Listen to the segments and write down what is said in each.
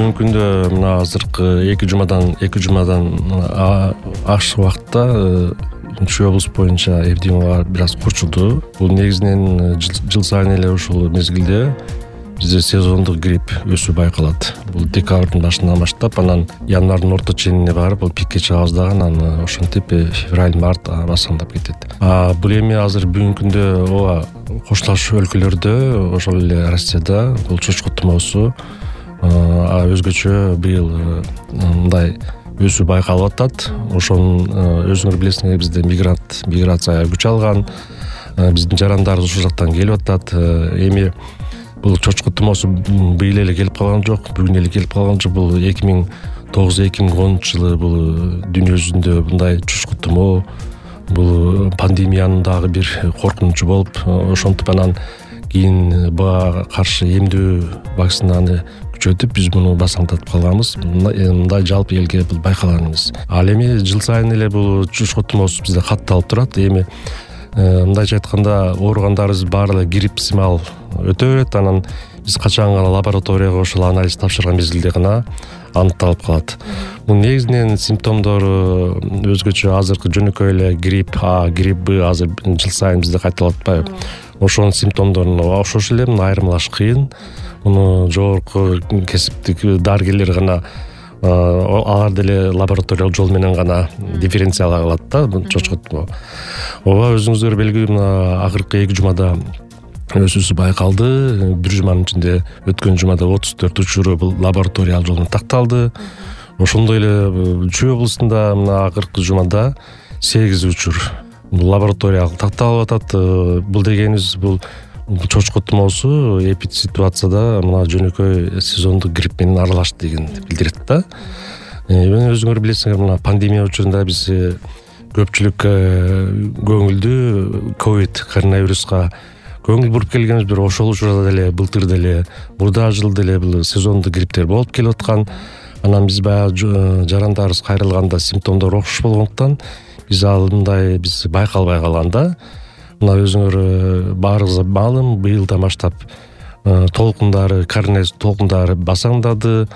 бүгүнкү күндө мына азыркы 2 жумадан ашык убакытта Чүй облус боюнча эпидемиялар бир аз курчулду. Бул негизинен жыл сайын эле ушул мезгилде бизде сезондук грипп өсүү байкалат. Бул декабрдын башынан баштап, анан январдын орто ченине барып, бул пикке чыгабыз дагы, анан ошентип февраль, март басаңдап кетет. Бул эми азыр бүгүнкү күндө ооба коштолуш өлкөлөрдө, ошол эле Россияда бул чочко тумоосу өзгөчө быйыл мындай өсүү байкалып атат. Ошонун өзүңөр билесиңер, бизде миграция күч алган, биздин жарандарыбыз ушул жактан келип атат. Эми бул чочко тумоосу быйыл эле келип калган жок, бүгүн эле келип калган жок. Бул 2009-2010 жылы бул дүйнө жүзүндө мындай чочко тумоо, бул пандемиянын дагы бир коркунучу болуп, ошентип анан кийин буга каршы эмдөө вакцинаны күчөтүп биз муну басаңдатып калганбыз. Мындай жалпы элге бул байкалган эмес. Ал эми жыл сайын эле бул чочко тумоосу бизде катталып турат. Эми мындайча айтканда ооругандарыбыз баары эле грипп сымал өтө берет. Анан биз качан гана лабораторияга ошол анализ тапшырган мезгилде гана аныкталып калат. Бул негизинен симптомдору өзгөчө азыркы жөнөкөй эле грипп А, грипп Б азыр жыл сайын бизде кайталап атпайбы? Ошонун симптомдоруна окшош эле айырмалаш кыйын. Муну жогорку кесиптик дарыгерлер гана алар деле лабораториялык жол менен гана дифференциалай алат да чочко тумоо. Ооба, өзүңүздөр белгилүү, мына акыркы 2 жумада өсүүсү байкалды. Бир жуманын ичинде өткөн жумада 34 учуру бул лабораториялык жолдон такталды. Ошондой эле Чүй облусунда мына акыркы жумада 8 учур бул лабораториялык такталып атат. Бул дегенибиз бул чочко тумоосу эпид ситуацияда мына жөнөкөй сезондук грипп менен аралашты дегенди билдирет да. Өзүңөр билесиңер, мына пандемия учурунда биз көпчүлүк көңүлдү ковид коронавируска көңүл буруп келгенбиз. Бир ошол учурда деле былтыр деле мурда жыл деле бул сезондук грипптер болуп келип аткан. Анан биз баягы жарандарыбыз кайрылганда симптомдор окшош болгондуктан биз мындай байкалбай калган да. Мына өзүңөр баарыбызга маалым, быйылдан баштап коронавирус толкундары басаңдады.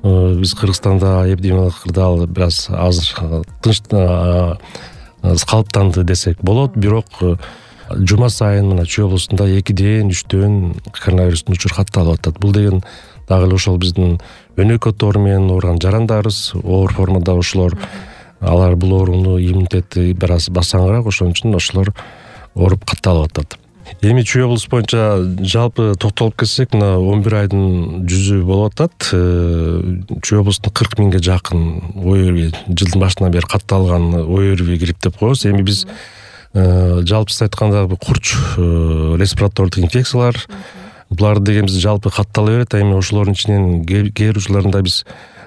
Биз Кыргызстанда эпидемиялык кырдаал бир аз азыр тынч калыптанды десек болот. Бирок жума сайын мына Чүй облусунда 2-3 коронавирустун учуру катталып атат. Бул деген дагы эле ошол биздин өнөкөт оору менен ооруган жарандарыбыз оор формада ошолор, алар бул ооруну иммунитети бир аз басаңыраак, ошон үчүн ошолор ооруп катталып атат. Эми Чүй облус боюнча жалпы токтолуп кетсек, мына 11 айдын жүзү болуп атат. Чүй облусунда 40 миңге жакын ОРВИ жылдын башынан бери катталган ОРВИ грипп деп коебуз. Эми биз жалпысыз айтканда курч респиратордук инфекциялар, булар дегенибиз жалпы каттала берет. Эми ошолордун ичинен кээ бир учурларында биз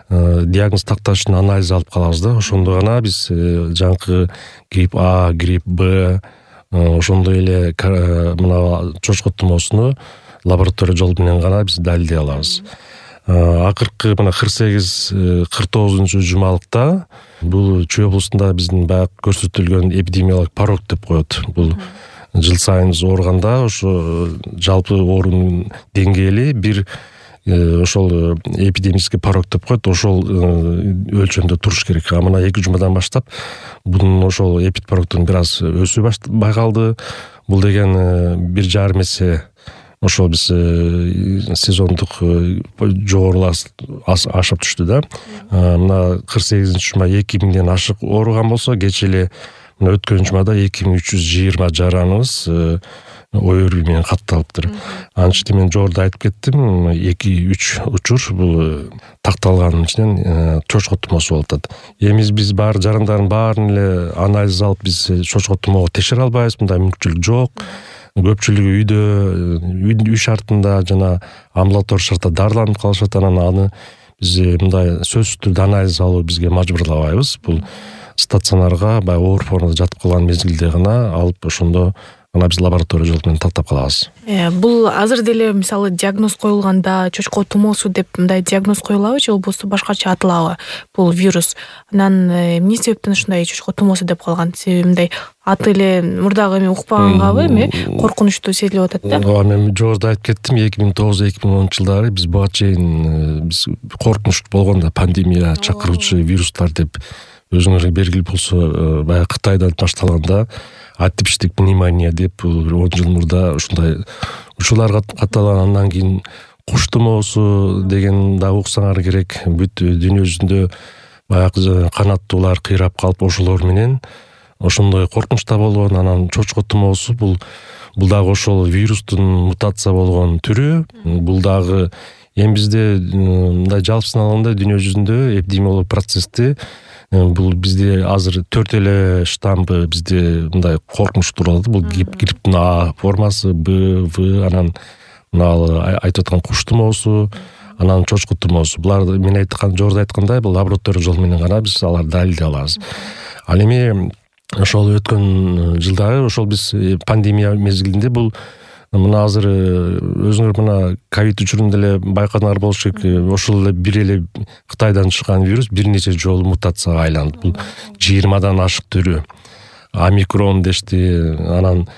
диагноз такташ үчүн анализ алып калабыз да. Ошондо гана биз жаңкы грипп А, грипп Б, ошондой эле мына чочко тумоосуну лаборатория жол менен гана биз далилдей алабыз. Акыркы мына 48-49 жумалыкта бул Чүй облусунда биздин баягы көрсөтүлгөн эпидемиялык порог деп коет. Бул жыл сайын биз ооруганда ошо жалпы оорунун деңгээли бир ошол эпидемический порог деп коет. Ошол өлчөмдө туруш керек. Мына 2 жумадан баштап бунун ошол эпид порогдун бир аз өсүү байкалды. Бул деген 1,5 эсе ошол биз сезондук жогорулар ашып түштү да. Мына 48-жума 2000ден ашык ооруган болсо, кечээ эле мына өткөн жумада 2320 жараныбыз ОРВИ менен катталыптыр. Анын ичинде мен жогоруда айтып кеттим, 2-3 учур бул такталганын ичинен чочко тумоосу болуп атат. Эми биз бар жарандардын баарын эле анализ алып биз чочко тумоого текшере албайбыз, мындай мүмкүнчүлүк жок. Көпчүлүгү үй шартында жана амбулатория шартта дарыланып калышат. Анан аны биз мындай сөзсүз түрдө анализ алуу бизге мажбурлабайбыз. Бул стационарга баягы оор формада жатып калган мезгилде гана алып ошондо ана биз лаборатория жол менен тактап калабыз. Бул азыр деле мисалы диагноз коюлганда чочко тумоосу деп мындай диагноз коюлабы же болбосо башкача аталабы бул вирус? Анан эмне себептен ушундай чочко тумоосу деп калган? Себеби мындай аты эле мурдагы эми укпагангабы эми коркунучтуу сезилип атат да. Ооба, мен жогоруда айтып кеттим, 2009-2010 жылдары биз буга чейин биз коркунучтуу болгон да пандемия чакыруучу вирустар деп өзүңөргө белгилүү болсо баягы Кытайдан башталганда атипиштик пневмония деп 10 жыл мурда ушундай учурлар катталган. Андан кийин куш тумоосу деген да уксаңар керек. Бүт дүйнө жүзүндө баягы канаттуулар кыйрап калып ошолор менен ошондой коркунуч да болгон. Анан чочко тумоосу бул дагы ошол вирустун мутация болгон түрү. Бул дагы эми бизде мындай жалпысын алганда дүйнө жүзүндө эпидемиологиялык процессти бул бизде азыр 4 эле штампы бизде мындай коркунуч турат. Бул грипптин А формасы, Б, В, анан мына айтып аткан куш тумоосу, анан чочко тумоосу. Буларды мен жогоруда айткандай бул лаборатория жол менен гана биз аларды далилдей алабыз. Ал эми ошол өткөн жылдары ошол биз пандемия мезгилинде бул мына азыр өзүңөр мына ковид учурунда эле байкадыңар болуш керек. Ошол эле бир эле Кытайдан чыккан вирус бир нече жолу мутацияга айланды. Бул 20дан ашык түрү омикрон дешти. Анан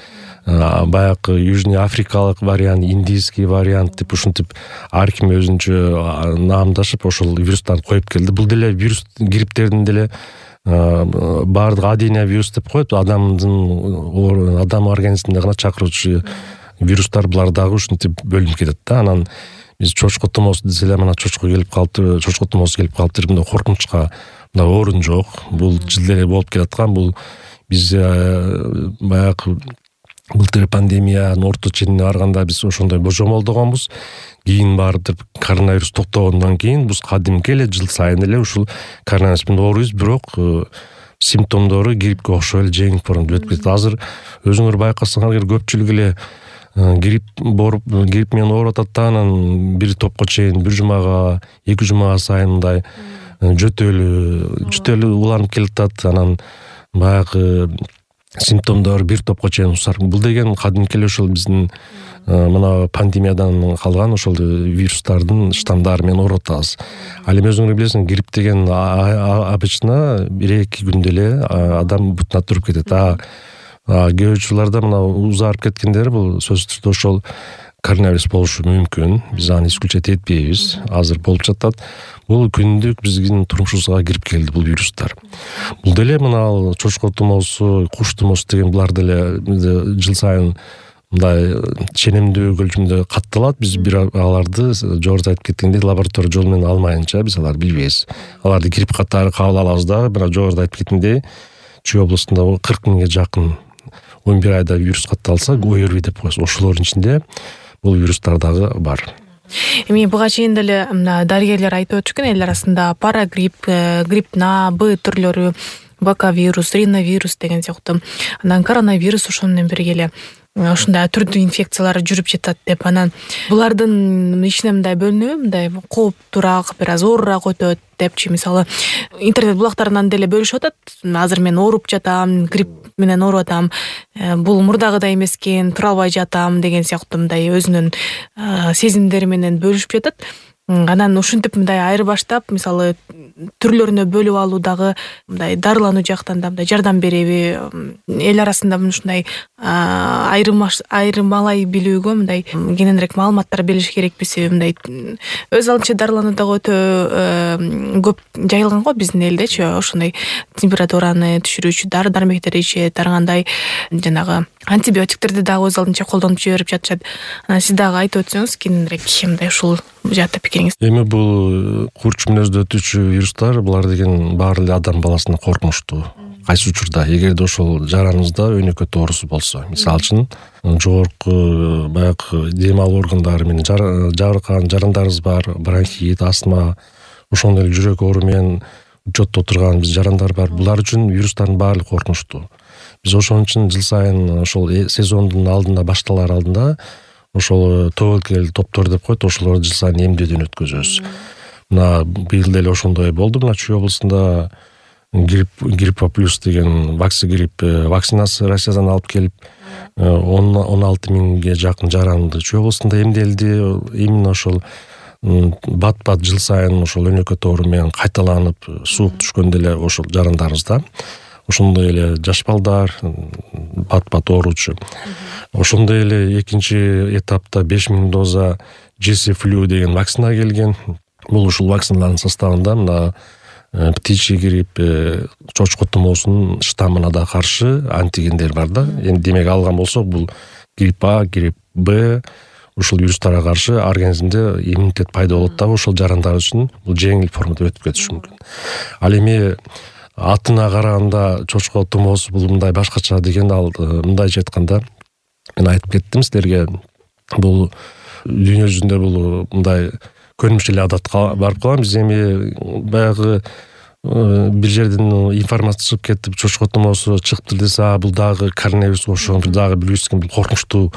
баягы южный африкалык вариант, индийский вариант деп ушинтип ар ким өзүнчө наамдашып ошол вирустарды коюп келди. Бул деле вирус грипттердин деле баардык аденовирус деп коет. Адам организминде гана чакыруучу вирустар булар дагы ушинтип бөлүнүп кетет да. Анан биз чочко тумоосу десе эле мына чочко тумоосу келип калыптыр. Мындай коркунучка мындай орун жок. Бул жылда эле болуп келаткан. Бул биз баягы былтыр пандемиянын орто ченине барганда биз ошондой божомолдогонбуз. Кийин барып коронавирус токтогондон кийин биз кадимки эле жыл сайын эле ушул коронавирус менен ооруйбуз, бирок симптомдору гриппке окшоп эле жеңип өтүп кетет. Азыр өзүңөр байкасаңар көпчүлүк эле грипп менен ооруп атат да, анан бир топко чейин бир жумага, 2 жумага сайын мындай жөтөлү уланып келатат. Анан баягы симптомдор бир топко чейин усар. Бул деген кадимки эле ошол биздин мына пандемиядан калган ошол вирустардын штамдары менен ооруп атабыз. Ал эми өзүңөр билесиң, грипп деген обычно 1-2 күндө эле адам бутуна туруп кетет. Кээ учурларда мына узарып кеткендер бул сөзсүз түрдө ошол коронавирус болушу мүмкүн. Биз аны исключать этпейбиз. Азыр болуп жатат. Бул күндүк биздин турмушубузга кирип келди бул вирустар. Бул деле мына чочко тумоосу, куш тумоосу деген булар деле жыл сайын мындай ченемдүү көлчөмдө катталат. Биз аларды жогоруда айтып кеткендей лаборатория жол менен алмайынча биз аларды билбейбиз. Аларды грипп катары кабыл алабыз да, бирок жогоруда айтып кеткендей Чүй областында 40 миңге жакын 11 айда вирус катталса, ОРВИ деп коебуз. Ошолордун ичинде бул вирустар дагы бар. Эми буга чейин деле дарыгерлер айтып өтүшкөн, эл арасында парагрипп, грипптин А, Б түрлөрү, бакавирус, риновирус деген сыяктуу. Анан коронавирус ошону менен бирге эле ушундай түрдүү инфекциялар жүрүп жатат деп. Анан булардын ичине мындай бөлүнөбү, мындай кооптуураак, бир аз оорураак өтөт депчи. Мисалы, интернет булактарынан деле бөлүшүп атат. Азыр мен ооруп жатам, грипп менен ооруп атам. Бул мурдагыдай эмес экен, тура албай жатам деген сыяктуу мындай өзүнүн сезимдери менен бөлүшүп жатат. Анан ушинтип мындай айырбаштап, мисалы, түрлөрүнө бөлүп алуу дагы мындай дарылануу жактан да мындай жардам береби? Эл арасында мындай айырмалай билүүгө мындай кененирээк маалыматтар берилиш керекпи? Себеби мындай өз алдынча дарылануу дагы өтө көп жайылган го биздин элдечи. Ошондой температураны түшүрүүчү дары-дармектер ичет, ар кандай жанагы антибиотиктерди дагы өз алдынча колдонуп жиберип жатышат. Анан сиз дагы айтып өтсөңүз кененирээк мындай ушул жаатта пикириңиз. Эми бул курч мүнөздө өтүүчү вирустар, булар деген баары эле адам баласына коркунучтуу. Кайсы учурда эгерде ошол жараныңызда өнөкөт оорусу болсо, мисалы үчүн жогорку баягы дем алуу органдары менен жабыркаган жарандарыбыз бар, бронхит, астма, ошондой эле жүрөк оору менен учетто турган биз жарандар бар. Булар үчүн вирустардын баары коркунучтуу. Биз ошон үчүн жыл сайын ошол сезондун алдында, башталар алдында ошол тобокел топтор деп коет, ошолорду жыл сайын эмдөөдөн өткөзөбүз. Мына быйыл деле ошондой болду. Мына Чүй областында гриппа плюс деген вакцигрипп вакцинасы Россиядан алып келип 16 миңге жакын жаранды Чүй облустунда эмделди. Именно ошол бат жыл сайын ошол өнөкөт оору менен кайталанып суук түшкөндө эле ошол жарандарыбызда ошондой эле жаш балдар бат ооручу. Ошондой эле экинчи этапта 5000 доза GC-Flu деген вакцина келген. Бул ушул вакциналардын составында мына птичий грипп, чочко тумоосунун штаммына да каршы антигендер бар да. Эми демек алган болсок, бул грипп А, грипп Б ушул вирустарга каршы организмде иммунитет пайда болот дагы ошол жарандар үчүн бул жеңил формада өтүп кетиши мүмкүн. Ал эми атына караганда чочко тумоосу бул мындай башкача деген ал мындайча айтканда мен айтып кеттим силерге, бул дүйнө жүзүндө бул мындай көрүнүш эле адатка барып калган. Биз эми баягы бир жерден информация чыгып кетип чочко тумоосу чыкты десе, бул дагы коронавируско окшогон дагы билбейсиң, бул коркунучтуу,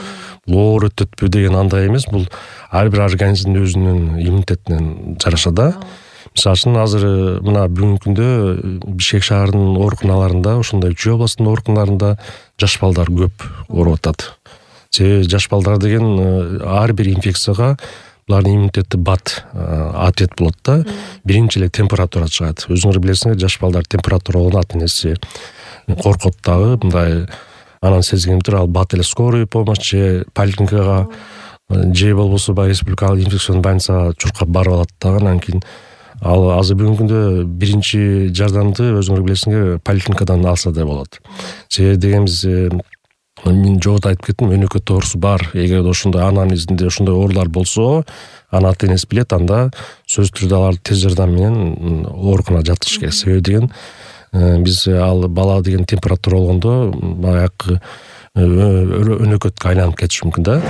бул оор өтөтпү деген андай эмес. Бул ар бир организмдин өзүнүн иммунитетинен жараша да. Мисалы үчүн азыр мына бүгүнкү күндө Бишкек шаарынын ооруканаларында, ошондой Чүй областынын ооруканаларында жаш балдар көп ооруп атат. Себеби жаш балдар деген ар бир инфекцияга булардын иммунитети бат ответ болот да. Биринчи эле температура чыгат. Өзүңөр билесиңер, жаш балдар температура болгондо ата энеси коркот дагы, мындай анан сезгенип туруп ал бат эле скорый помощь же поликлиникага же болбосо баягы республикалык инфекционный больницага чуркап барып алат дагы. Анан кийин ал азыр бүгүнкү күндө биринчи жардамды өзүңөр билесиңер поликлиникадан алса да болот. Себеби дегенибиз мен жогоруда айтып кеттим, өнөкөт оорусу бар. Эгер ошондой анамнезинде ошондой оорулар болсо, аны ата энеси билет, анда сөзсүз түрдө аларды тез жардам менен ооруканага жаткызыш керек. Себеби деген биз ал бала деген температура болгондо баягы өнөкөткө айланып кетиши мүмкүн да.